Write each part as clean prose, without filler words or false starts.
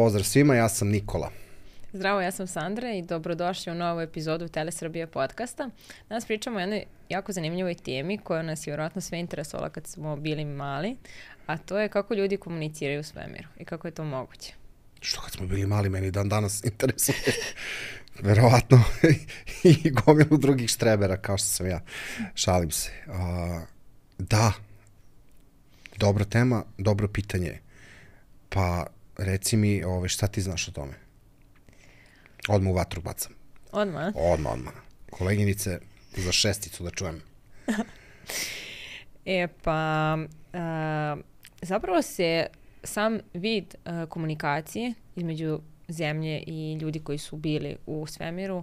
pozdrav svima, ja sam Nikola. Zdravo, ja sam Sandra i dobrodošli u novu epizodu Telesrbije podcasta. Danas pričamo o jednoj jako zanimljivoj temi koja nas je vjerojatno sve interesovala kad smo bili mali, a to je kako ljudi komuniciraju u svemiru i kako je to moguće. Što kad smo bili mali, meni dan danas interesuje. Verovatno i gomilu drugih štrebera, kao što sam ja. Šalim se. Da, dobra tema, dobro pitanje. Pa reci mi, šta ti znaš o tome? Odmah u vatru bacam. Odmah? Odmah. Koleginice, za šesticu da čujem. Zapravo se sam vid komunikacije između zemlje i ljudi koji su bili u svemiru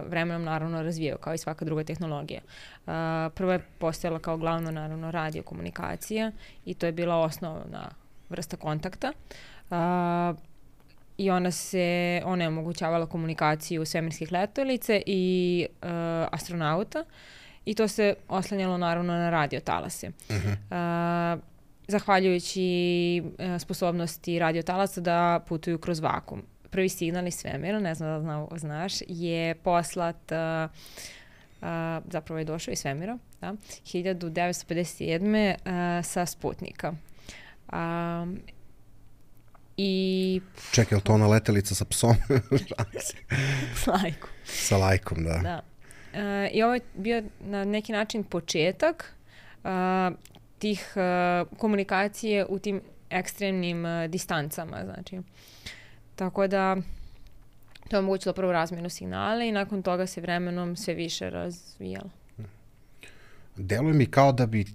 vremenom naravno razvijao, kao i svaka druga tehnologija. Prvo je postojala kao glavno naravno radiokomunikacija i to je bila osnovna vrsta kontakta. I ona je omogućavala komunikaciju svemirskih letelice i astronauta i to se oslanjalo naravno na radiotalase. Zahvaljujući sposobnosti radiotalasa da putuju kroz vakum. Prvi signal iz svemira, ne znam da znaš, je poslat, zapravo je došao iz svemira, 1957. Sa Sputnika. Čekaj, je li to ona letelica sa psom? S lajkom. Sa lajkom, da. I ovo je bio na neki način početak tih komunikacije u tim ekstremnim distancama. Znači. Tako da to je omogućilo prvo razmjenu signala i nakon toga se vremenom sve više razvijalo. Deluje mi kao da bi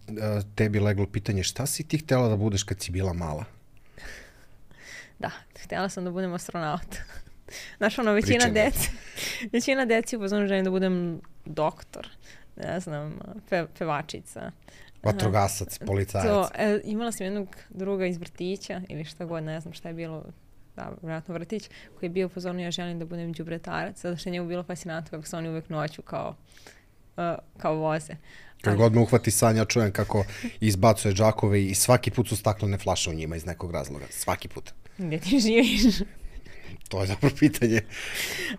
tebi leglo pitanje šta si ti htjela da budeš kad si bila mala? Da, htjela sam da budem astronaut. Znaš, većina deci upozorno želim da budem doktor, ne znam, pevačica. Vatrogasac, policajac. Imala sam jednog druga iz vrtića ili šta god, ne znam šta je bilo, vjerojatno vrtić, koji je bio upozorno ja želim da budem đubretarac, zato što je njemu bilo fascinantno kako se oni uvek noću kao voze. Kad god me uhvati san, ja čujem kako izbacuje džakove i svaki put su staklene flaše u njima iz nekog razloga. Svaki put. Gdje ti živiš? To je dobro pitanje.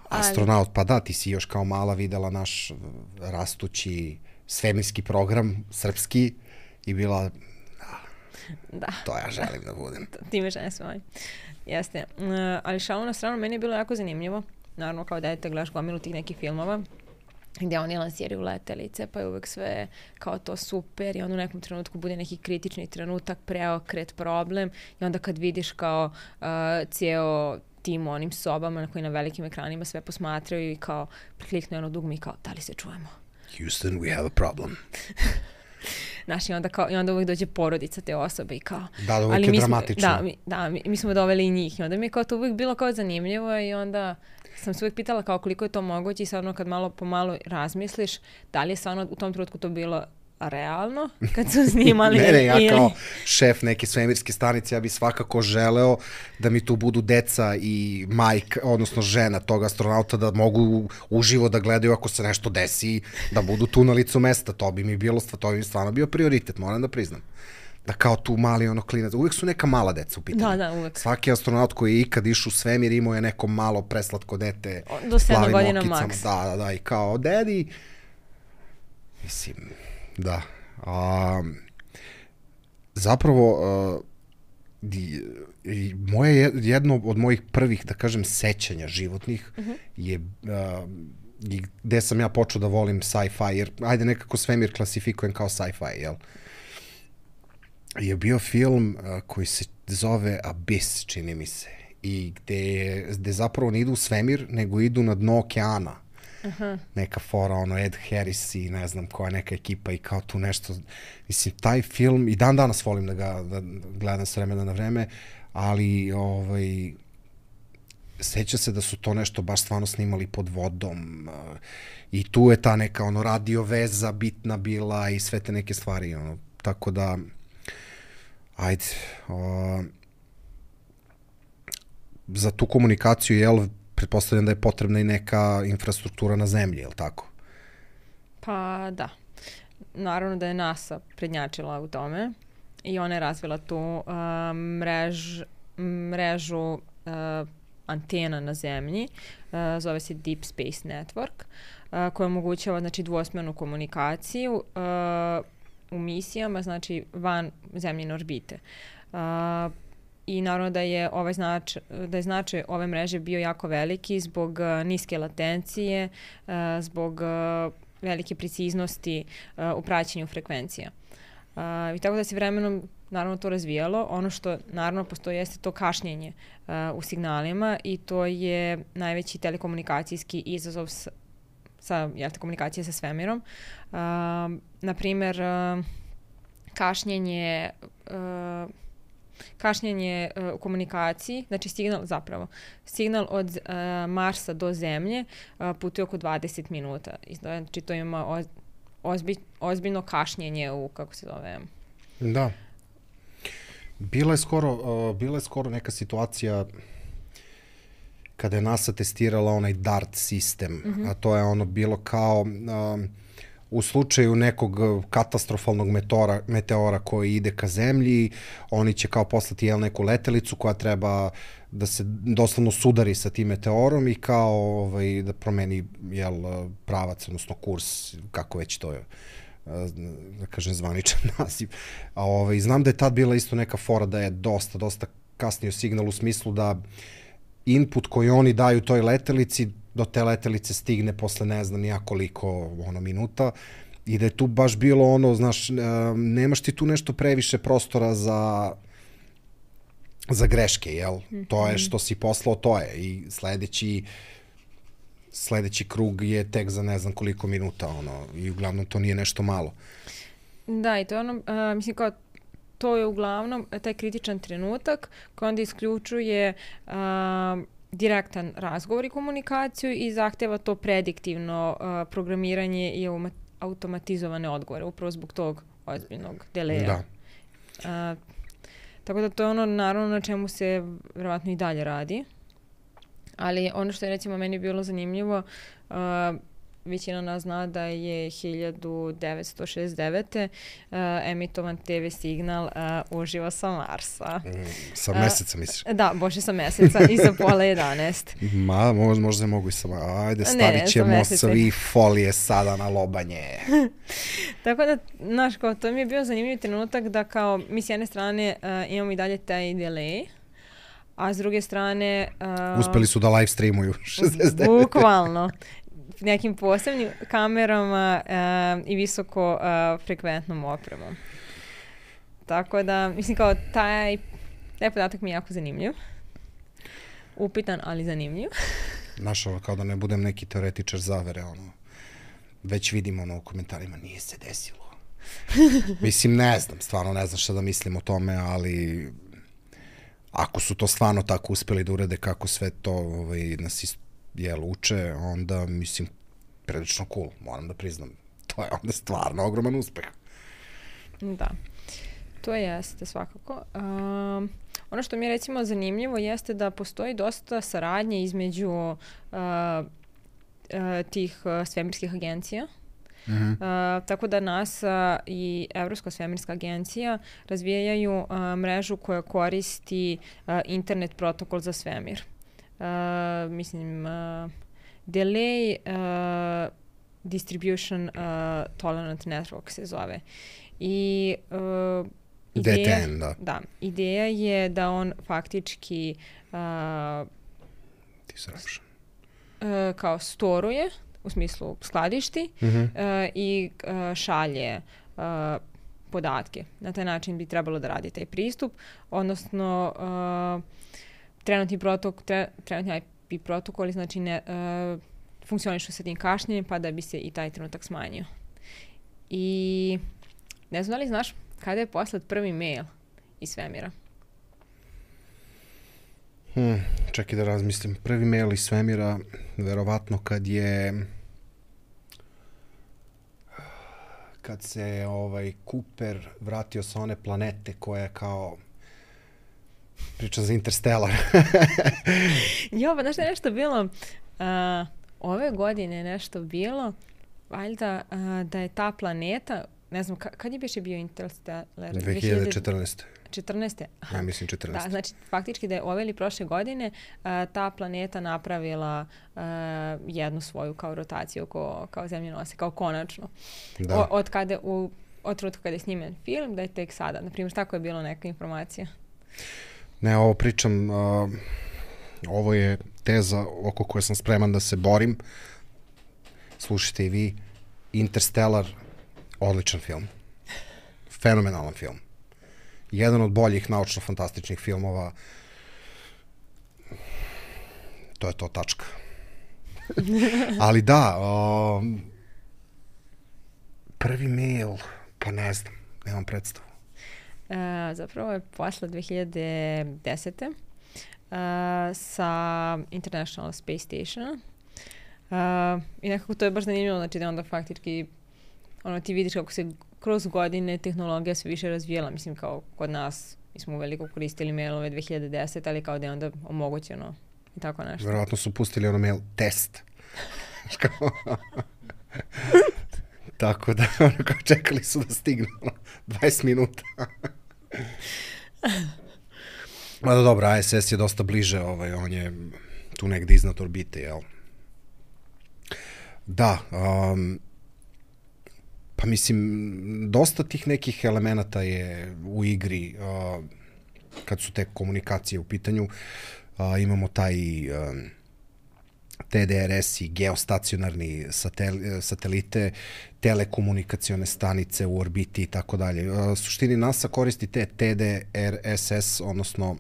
Astronaut, pa da, ti si još kao mala videla naš rastući svemirski program, srpski, i bila, to ja želim da budem. Ti me žene svoj. Jeste. Ali šalu na stranu, meni je bilo jako zanimljivo. Naravno, kao dete gledaš gomilu tih nekih filmova gdje oni lansiraju letelice, pa je uvek sve kao to super i onda u nekom trenutku bude neki kritični trenutak, preokret, problem i onda kad vidiš kao cijelo tim u onim sobama na koji na velikim ekranima sve posmatraju i kao prikliknu jedno dugme i kao da li se čujemo? Houston, we have a problem. Znaš, i onda uvijek dođe porodica te osobe i kao... Da, uvijek je dramatično. Mi smo doveli i njih i onda mi je kao to uvijek bilo kao zanimljivo i onda sam se uvijek pitala kao koliko je to moguće i sad ono kad malo po malo razmisliš da li je stvarno u tom trenutku to bilo realno kad su snimali. Ja kao šef neke svemirske stanice, ja bi svakako želeo da mi tu budu deca i majka, odnosno žena tog astronauta, da mogu uživo da gledaju ako se nešto desi, da budu tu na licu mesta. To bi mi stvarno bio prioritet, moram da priznam. Da kao tu mali klinac, uvijek su neka mala deca u pitanju. Da, uvijek. Svaki astronaut koji je ikad išao u svemir imao je neko malo preslatko dete. Do 7 godina maks. Da, i kao daddy. Mislim, da. Zapravo, jedno od mojih prvih, da kažem, sećanja životnih je gde sam ja počeo da volim sci-fi, jer ajde nekako svemir klasifikujem kao sci-fi, jel? Je bio film koji se zove Abyss, čini mi se, i gde zapravo ne idu u svemir, nego idu na dno okeana. Neka fora, Ed Harris i ne znam koja neka ekipa i kao tu nešto. Mislim, taj film, i dan danas volim da ga gledam s vremena na vreme, ali seća se da su to nešto baš stvarno snimali pod vodom i tu je ta neka radio veza bitna bila i sve te neke stvari, tako da ajde, za tu komunikaciju, jel, pretpostavljam da je potrebna i neka infrastruktura na zemlji, je li tako? Pa da. Naravno da je NASA prednjačila u tome i ona je razvila tu mrežu antena na zemlji, zove se Deep Space Network, koja omogućava znači dvosmjernu komunikaciju u misijama, znači van zemljine orbite. I naravno da je značaj ove mreže bio jako veliki zbog niske latencije, zbog velike preciznosti u praćenju frekvencija. I tako da se vremenom naravno to razvijalo. Ono što naravno postoji jeste to kašnjenje u signalima i to je najveći telekomunikacijski izazov komunikacije sa svemirom. Naprimer, kašnjenje u komunikaciji, znači signal od Marsa do Zemlje putuje oko 20 minuta. Znači to ima ozbiljno kašnjenje u, kako se zove... Da. Bila je skoro neka situacija kada je NASA testirala onaj DART sistem, a to je ono bilo kao u slučaju nekog katastrofalnog meteora koji ide ka zemlji, oni će kao poslati neku letelicu koja treba da se doslovno sudari sa tim meteorom i kao da promeni pravac, odnosno kurs, kako već to je, da kažem, zvaničan naziv. Znam da je tad bila isto neka fora da je dosta kasnio signal u smislu da input koji oni daju toj letelici do te letelice stigne posle ne znam nija koliko minuta i da je tu baš bilo znaš, nemaš ti tu nešto previše prostora za greške, jel? To je što si poslao, to je. I sledeći krug je tek za ne znam koliko minuta, i uglavnom to nije nešto malo. Da, i to je mislim kao, to je uglavnom taj kritičan trenutak koji onda isključuje direktan razgovor i komunikaciju i zahteva to prediktivno programiranje i automatizovane odgovore, upravo zbog tog ozbiljnog deleja. Da. Tako da to je naravno na čemu se verovatno i dalje radi. Ali ono što je recimo meni bilo zanimljivo, većina nas zna da je 1969. Emitovan TV signal uživo sa Marsa. Sa meseca misliš? Da, bože sa meseca i sa pola 11. Možda mogu i sama. Ajde, stavit ćemo svi folije sada na lobanje. Tako da, znaš, kao, to mi je bio zanimljiv trenutak da kao mi s jedne strane imamo i dalje taj delay, a s druge strane... uspeli su da live streamuju 69. Bukvalno. Nekim posebnim kamerama i visoko frekventnom opremom. Tako da, mislim kao taj podatak mi je jako zanimljiv. Upitan, ali zanimljiv. Znaš, kao da ne budem neki teoretičar zavere, već vidimo u komentarima, nije se desilo. Mislim, ne znam, stvarno ne znam šta da mislim o tome, ali ako su to stvarno tako uspeli da urede kako sve to nas uče, onda mislim prilično cool, moram da priznam. To je onda stvarno ogroman uspeh. Da, to jeste svakako. Ono što mi je recimo zanimljivo jeste da postoji dosta saradnje između tih svemirskih agencija. Tako da NASA i Evropska svemirska agencija razvijaju mrežu koja koristi internet protokol za svemir. Mislim, Delay Distribution Tolerant Network se zove. I DTN, da. Da, ideja je da on faktički kao storuje, u smislu skladišti i šalje podatke. Na taj način bi trebalo da radi taj pristup, odnosno trenutni IP protokoli znači funkcionišu sa tim kašnjenjem pa da bi se i taj trenutak smanjio. I ne znam da li znaš kada je poslat prvi mail iz svemira? Čekaj da razmislim. Prvi mail iz svemira verovatno kad se Cooper vratio sa one planete koja je kao priča za Interstellar. Jo, pa znaš da je nešto bilo ove godine nešto bilo valjda da je ta planeta, ne znam, kad je biše bio Interstellar? 2014. 14. Ja mislim 14. Da, znači faktički da je ove ili prošle godine ta planeta napravila jednu svoju kao rotaciju kao zemljenose, kao konačno. Da. Od trenutka kada je snimen film, da je tek sada. Naprimjer, tako je bilo neka informacija. Ne, ovo pričam, ovo je teza oko koje sam spreman da se borim. Slušajte i vi, Interstellar, odličan film. Fenomenalan film. Jedan od boljih naučno-fantastičnih filmova. To je to, tačka. Ali da, prvi mail, pa ne znam, nemam predstavu. Zapravo je posle 2010. Sa International Space Station. I nekako to je baš zanimljivo, znači da onda faktički ti vidiš kako se kroz godine tehnologija sve više razvijela, mislim kao kod nas, mi smo veliko koristili mailove 2010, ali kao da je onda omogućeno i tako nešto. Verovatno su pustili ono mail test. Tako da čekali su da stigne 20 minuta. Mada dobro, ISS je dosta bliže, on je tu negde iznad orbite, jel? Da, pa mislim, dosta tih nekih elemenata je u igri kad su te komunikacije u pitanju. Imamo taj TDRS i geostacionarni satelite, telekomunikacione stanice u orbiti i tako dalje. Suštini NASA koristi te TDRSS, odnosno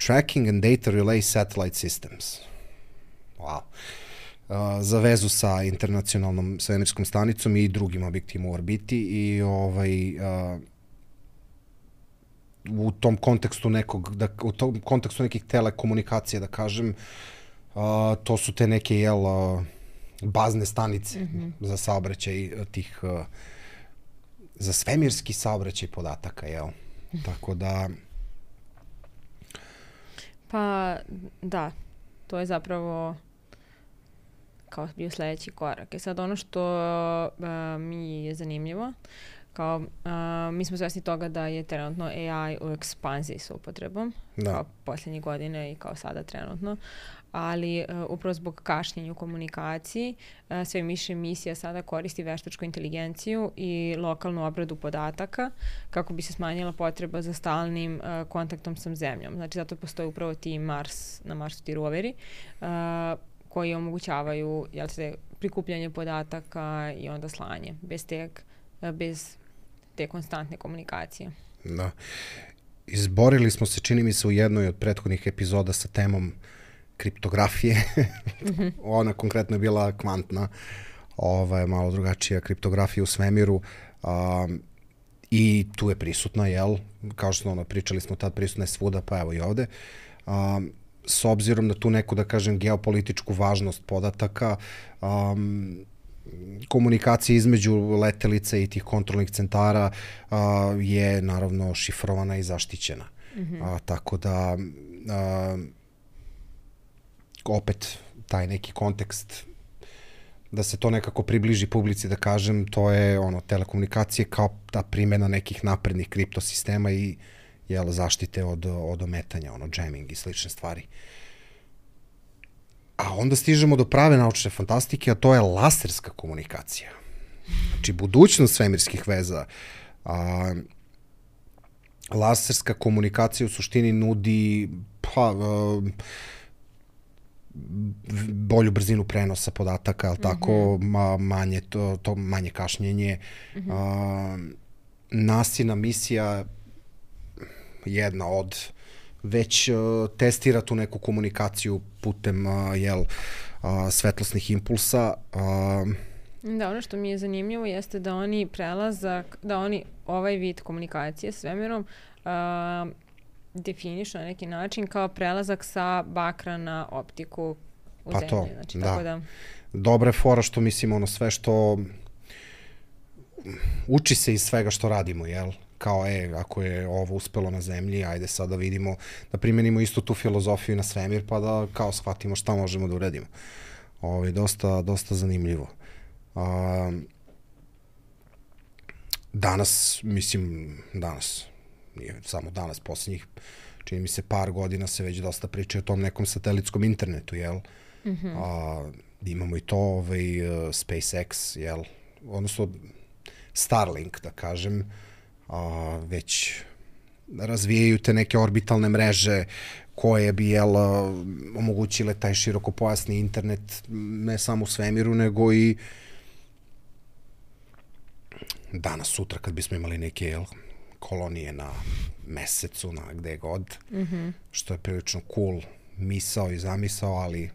Tracking and Data Relay Satellite Systems. Wow. Za vezu sa internacionalnom svemirskom stanicom i drugim objektima u orbiti i u tom kontekstu nekih telekomunikacija, da kažem, to su te neke bazne stanice za saobraćaj tih za svemirski saobraćaj podataka, jel? Tako da pa da, to je zapravo kao bio sledeći korak. Sad ono što mi je zanimljivo, kao mi smo svesni toga da je trenutno AI u ekspanziji sa upotrebom, kao posljednjih godine i kao sada trenutno, ali upravo zbog kašnjenja u komunikaciji sve više misija sada koristi veštačku inteligenciju i lokalnu obradu podataka kako bi se smanjila potreba za stalnim kontaktom sa zemljom. Znači zato postoji upravo na Marsu ti roveri koji omogućavaju prikupljanje podataka i onda slanje bez te konstantne komunikacije. Da. Izborili smo se, čini mi se, u jednoj od prethodnih epizoda sa temom kriptografije. Ona konkretno je bila kvantna, malo drugačija kriptografija u svemiru i tu je prisutna, jel? Kao što pričali smo tad, prisutna je svuda, pa evo i ovde. S obzirom na tu neku, da kažem, geopolitičku važnost podataka, komunikacija između letelice i tih kontrolnih centara je naravno šifrovana i zaštićena. Tako da opet taj neki kontekst da se to nekako približi publici, da kažem, to je telekomunikacije kao ta primjena nekih naprednih kriptosistema i zaštite od ometanja, jamming i slične stvari. A onda stižemo do prave naučne fantastike, a to je laserska komunikacija. Znači, budućnost svemirskih veza. Laserska komunikacija u suštini nudi bolju brzinu prenosa podataka, ali tako, manje kašnjenje. NASIna misija jedna od već testira tu neku komunikaciju putem svetlosnih impulsa. Da, ono što mi je zanimljivo jeste da oni ovaj vid komunikacije s svemirom definišu na neki način kao prelazak sa bakra na optiku u zemlji. To, znači, da. Tako da. Dobra je fora što mislim sve što uči se iz svega što radimo, jel? Kao ako je ovo uspelo na zemlji, ajde sad da vidimo, da primenimo istu tu filozofiju na svemir, pa da kao shvatimo šta možemo da uradimo. Dosta zanimljivo. Danas, nije samo danas, posljednjih, čini mi se par godina se već dosta priča o tom nekom satelitskom internetu, jel? Imamo i to, SpaceX, jel? Odnosno, Starlink, da kažem, već razvijaju te neke orbitalne mreže koje bi, jel, omogućile taj širokopojasni internet ne samo u svemiru, nego i danas, sutra, kad bismo imali neke, jel, kolonije na mesecu, na gde god, što je prilično cool misao i zamisao, ali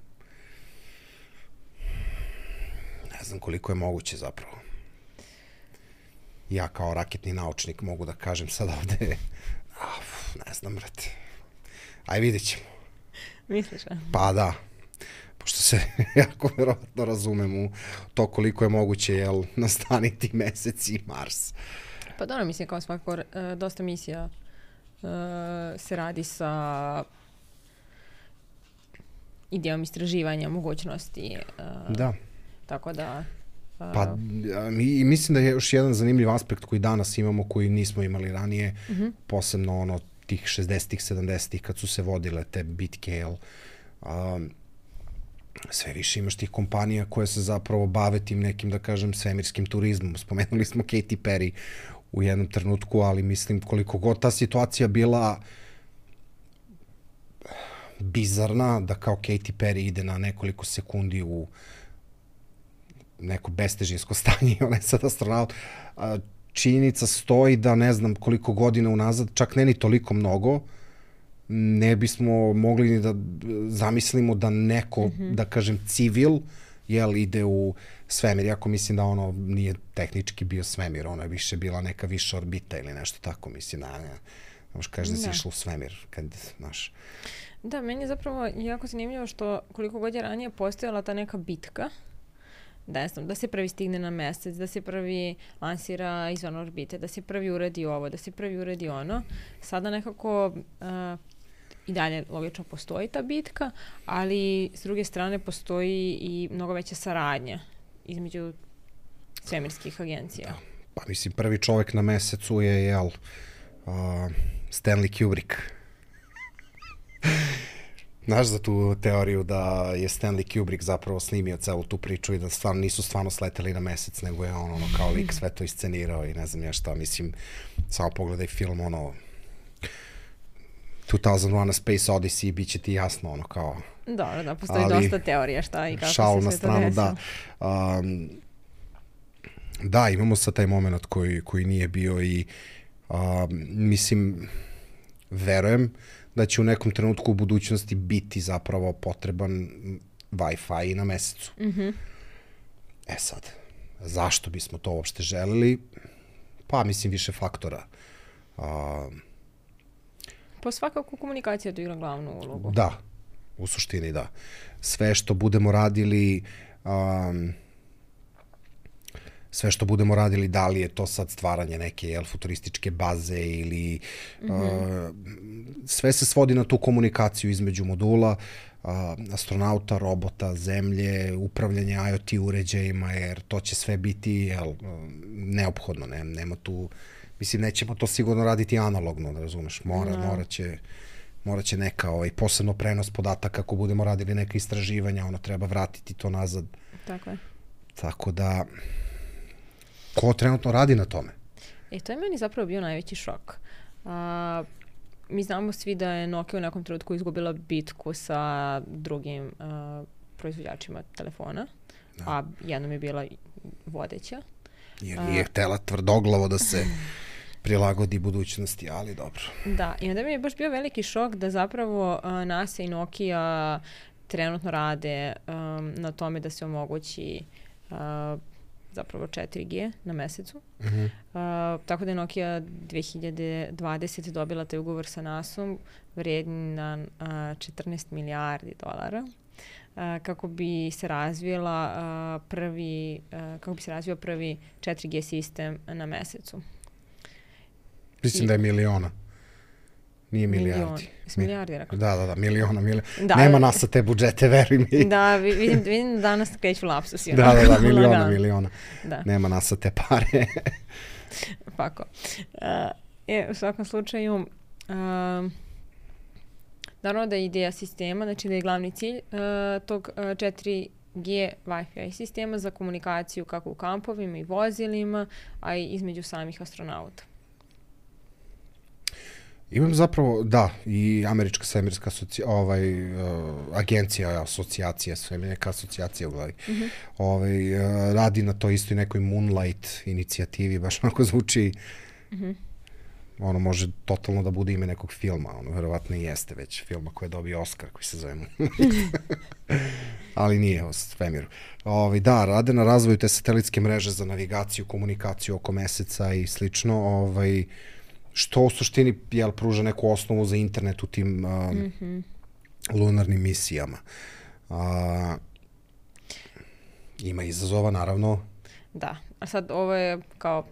ne znam koliko je moguće zapravo. Ja kao raketni naučnik mogu da kažem sad ovde, ne znam, brate. Aj, vidjet ćemo. Misliš, a? Pa da, pošto se jako verovatno razumem u to koliko je moguće, jel, nastaniti Mesec i Mars. Pa dobro, mislim, kao svakako, dosta misija se radi sa idejom istraživanja, mogućnosti. Da. Tako da... Pa, i mislim da je još jedan zanimljiv aspekt koji danas imamo, koji nismo imali ranije, posebno ono tih 60-ih, 70-ih, kad su se vodile te bitke, jel, sve više imaš tih kompanija koje se zapravo bave tim nekim, da kažem, svemirskim turizmom. Spomenuli smo Katy Perry u jednom trenutku, ali mislim koliko god ta situacija bila bizarna, da kao Katy Perry ide na nekoliko sekundi u neko bestežinsko stanje, ona je sad astronaut, činjenica stoji da ne znam koliko godina unazad, čak ne ni toliko mnogo, ne bismo mogli ni da zamislimo da neko, da kažem, civil, jel, ide u svemir. Iako mislim da ono nije tehnički bio svemir, ono je više bila neka viša orbita ili nešto tako, mislim, ne možeš kažeš da si išla u svemir, kad, znaš. Da, meni je zapravo jako zanimljivo što koliko god je ranije postojala ta neka bitka, da se prvi stigne na mesec, da se prvi lansira izvan orbite, da se prvi uradi ovo, da se prvi uradi ono. Sada nekako i dalje logično postoji ta bitka, ali s druge strane postoji i mnogo veća saradnja između svemirskih agencija. Da. Pa mislim, prvi čovek na mesecu je, jel, Stanley Kubrick. Znaš za tu teoriju da je Stanley Kubrick zapravo snimio celu tu priču i da nisu stvarno sleteli na mesec, nego je on kao lik sve to iscenirao i ne znam ja šta, mislim, samo pogledaj film, 2001 A Space Odyssey, bit će ti jasno, kao... Da, postoji dosta teorija šta i kako šal se na sve stranu, to desilo. Da, imamo sad taj moment koji nije bio i mislim, verujem da će u nekom trenutku u budućnosti biti zapravo potreban Wi-Fi na mesecu. E sad, zašto bismo to uopšte želeli? Pa, mislim, više faktora. Pa svakako komunikacija tu igra glavnu ulogu. Da, u suštini da. Sve što budemo radili, da li je to sad stvaranje neke futurističke baze ili sve se svodi na tu komunikaciju između modula, astronauta, robota, zemlje, upravljanje IoT uređajima, jer to će sve biti neophodno. Nema tu, mislim, nećemo to sigurno raditi analogno, da razumeš, morat će neka, posebno prenos podataka, ako budemo radili neka istraživanja, treba vratiti to nazad. Tako je. Tako da, ko trenutno radi na tome? To je meni zapravo bio najveći šok. Mi znamo svi da je Nokia u nekom trenutku izgubila bitku sa drugim proizvođačima telefona, a jednom je bila vodeća. Jer nije htela tvrdoglavo da se prilagodi budućnosti, ali dobro. Da, i onda mi je baš bio veliki šok da zapravo NASA i Nokia trenutno rade na tome da se omogući zapravo 4G na mesecu. Tako da je Nokia 2020 dobila taj ugovor sa NASA-om vrijedan 14 milijardi dolara kako bi se razvio prvi 4G sistem na mesecu. Mislim da je miliona. Nije milijardi. Milijardi, rekao. Da, miliona. Nema NASA te budžete, veruj mi. Da, vidim danas kreću lapsusi. Da, miliona. Da. Nema NASA te pare. Pako. U svakom slučaju, naravno da je ideja sistema, znači da je glavni cilj tog 4G Wi-Fi sistema za komunikaciju kako u kampovima i vozilima, a i između samih astronauta. Imam zapravo, da, i američka svemirska agencija, asocijacija, neka asocijacija u glavi, radi na to isto i nekoj Moonlight inicijativi, baš onako zvuči, ono može totalno da bude ime nekog filma, ono verovatno i jeste već filma koji je dobio Oscar, koji se zove Moonlight. Ali nije o svemiru. Da, rade na razvoju te satelitske mreže za navigaciju, komunikaciju oko meseca i slično, što u suštini pruža neku osnovu za internet u tim lunarnim misijama. Ima izazova, naravno. Da, a sad ovo je kao,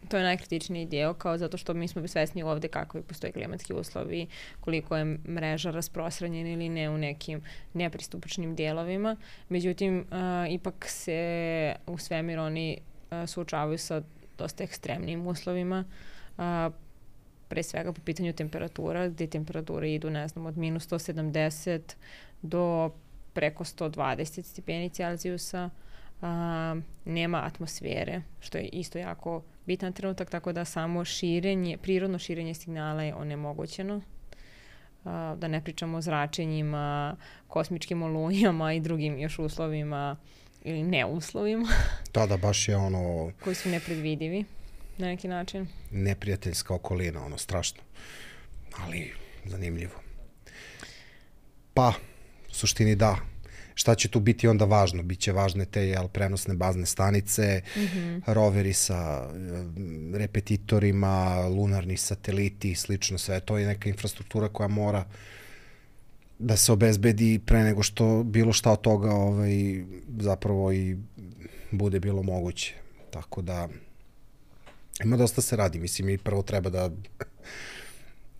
to je najkritičniji dio, kao zato što mi smo svesni ovde kako postoje klimatski uslovi, koliko je mreža rasprostranjena ili ne u nekim nepristupačnim dijelovima. Međutim, ipak se u svemir oni suočavaju sa dosta ekstremnim uslovima, pre svega po pitanju temperatura, gde temperature idu, ne znam, od minus 170 do preko 120 stepeni Celzijusa. Nema atmosfere, što je isto jako bitan trenutak, tako da samo prirodno širenje signala je onemogućeno. Da ne pričamo o zračenjima, kosmičkim olujama i drugim još uslovima ili neuslovima. Da, baš je ono... koji su nepredvidivi na neki način. Neprijateljska okolina, ono, strašno. Ali zanimljivo. Pa, u suštini da. Šta će tu biti onda važno? Biće važne te prenosne bazne stanice, roveri sa repetitorima, lunarni sateliti i slično sve. To je neka infrastruktura koja mora da se obezbedi pre nego što bilo šta od toga zapravo i bude bilo moguće. Tako da ima dosta se radi. Mislim, mi prvo treba da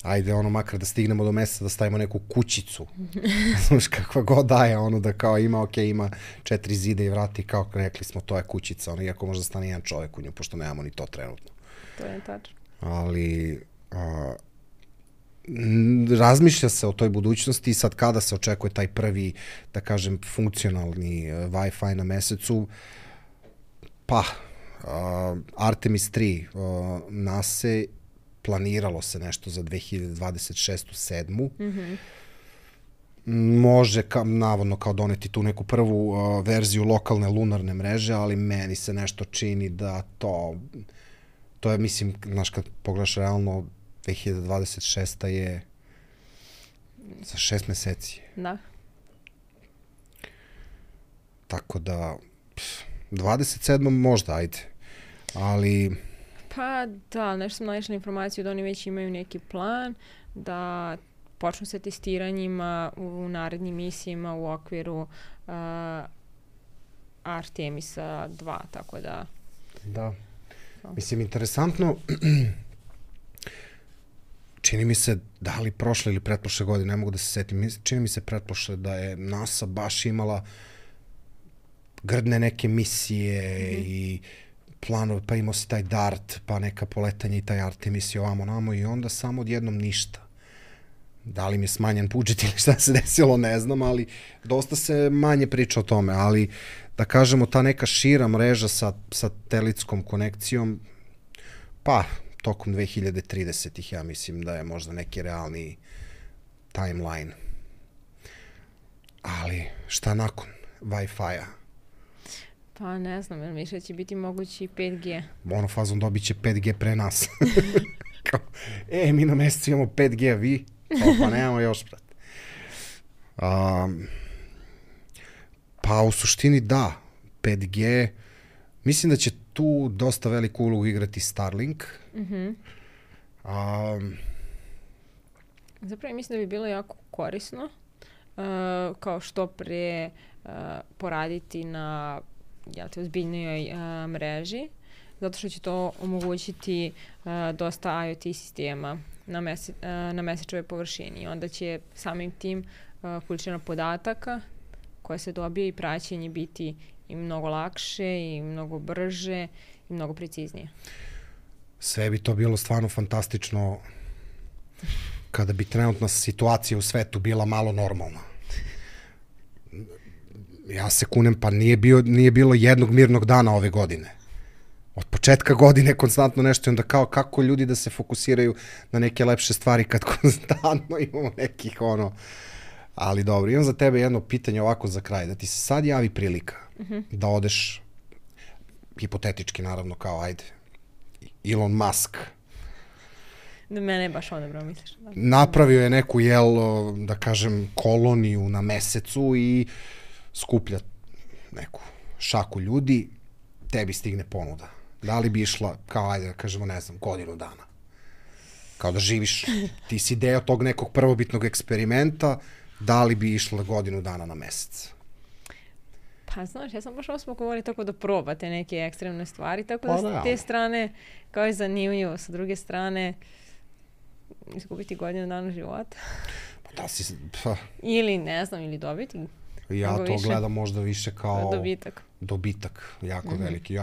ajde, makar da stignemo do mesta, da stavimo neku kućicu. Znaš, kakva god daje, da kao ima 4 zida i vrati, kao rekli smo, to je kućica, iako možda stane jedan čovek u nju, pošto nemamo ni to trenutno. To je tačno. Ali razmišlja se o toj budućnosti i sad kada se očekuje taj prvi, da kažem, funkcionalni Wi-Fi na mesecu, pa Artemis 3 NASA planiralo se nešto za 2026-2027. Može, navodno, kao doneti tu neku prvu verziju lokalne lunarne mreže, ali meni se nešto čini da to je, mislim, znaš, kad pogledaš realno, 2026. je za 6 meseci. Da. Tako da, 27. možda, ajde. Ali... Pa da, nešto sam naišla informaciju da oni već imaju neki plan da počnu sa testiranjima u narednim misijama u okviru Artemisa 2, tako da... Da. Mislim, interesantno, čini mi se, da li prošle ili pretprošle godine, ne mogu da se setim, čini mi se pretprošle da je NASA baš imala grdne neke misije i planove, pa imao si taj DART, pa neka poletanja i taj Artemis i ovamo namo i onda samo odjednom ništa. Da li mi je smanjen budžet ili šta se desilo, ne znam, ali dosta se manje priča o tome, ali da kažemo ta neka šira mreža sa satelitskom konekcijom, pa tokom 2030-ih ja mislim da je možda neki realni timeline. Ali šta nakon Wi-Fi-a? Pa ne znam, jer više će biti mogući 5G. Fazom dobit će 5G pre nas. Mi na mesecu imamo 5G, a vi? Pa nemamo još, brate. Pa u suštini da, 5G. Mislim da će tu dosta veliku ulogu igrati Starlink. Zapravo mislim da bi bilo jako korisno kao što pre poraditi na ozbiljnijoj mreži, zato što će to omogućiti dosta IoT sistema na mesečevoj površini. I onda će samim tim količina podataka koja se dobije i praćenje biti i mnogo lakše i mnogo brže i mnogo preciznije. Sve bi to bilo stvarno fantastično kada bi trenutna situacija u svetu bila malo normalna. Ja se kunem, pa nije bilo jednog mirnog dana ove godine. Od početka godine konstantno nešto i onda kao kako ljudi da se fokusiraju na neke lepše stvari kad konstantno imamo nekih Ali dobro, imam za tebe jedno pitanje ovako za kraj. Da ti se sad javi prilika da odeš, hipotetički naravno kao ajde, Elon Musk. Da mene je baš odabro, misliš? Napravio je neku, da kažem, koloniju na mesecu i skuplja neku šaku ljudi, tebi stigne ponuda. Da li bi išla, kao ajde da kažemo, ne znam, godinu dana? Kao da živiš, ti si deo tog nekog prvobitnog eksperimenta, da li bi išla godinu dana na mesec? Pa znaš, ja sam baš smo govorili tako da probate neke ekstremne stvari, tako da s te strane kao je zanimljivo, sa druge strane izgubiti godinu dana života. Ili ne znam, ili dobiti. Ja to gledam možda više kao dobitak jako veliki.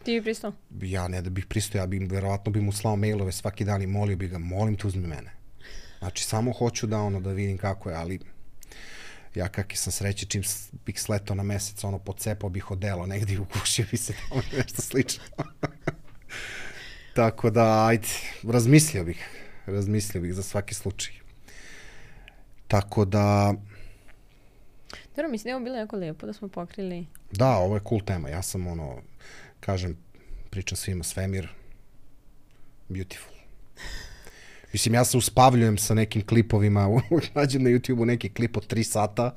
Ti bi pristao? Ja ne da bih pristao, verovatno bi mu slao mailove svaki dan i molio bi ga, molim te uzmi mene. Znači, samo hoću da vidim kako je, ali ja kakvi sam sreće, čim bih sletao na mesec, pocepao bih odelo negdje i ugušio bi se tamo nešto slično. Tako da, ajde, razmislio bih za svaki slučaj. Tako da... Dobro, mislim da je ovo bilo jako lijepo da smo pokrili. Da, ovo je cool tema. Ja sam kažem, pričam svima, svemir, beautiful. Mislim, ja se uspavljujem sa nekim klipovima, nađem na YouTube-u neki klip od 3 sata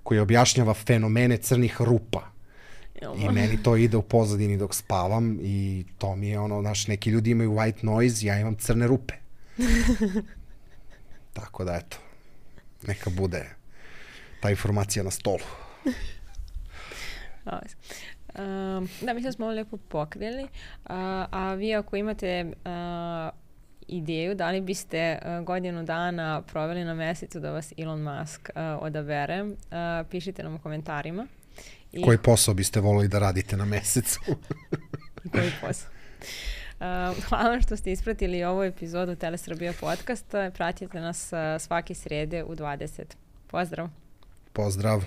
koji objašnjava fenomene crnih rupa. I meni to ide u pozadini dok spavam i to mi je neki ljudi imaju white noise, ja imam crne rupe. Tako da, eto, neka bude ta informacija na stolu. Da, mislim da smo ovo lijepo pokrili, a vi ako imate ideju da li biste godinu dana proveli na mesecu da vas Elon Musk odabere, pišite nam u komentarima. Koji posao biste volili da radite na mesecu? Koji posao? Hvala što ste ispratili ovu epizodu Telesrbija podcasta. Pratite nas svake srede u 20. Pozdrav! Pozdrav!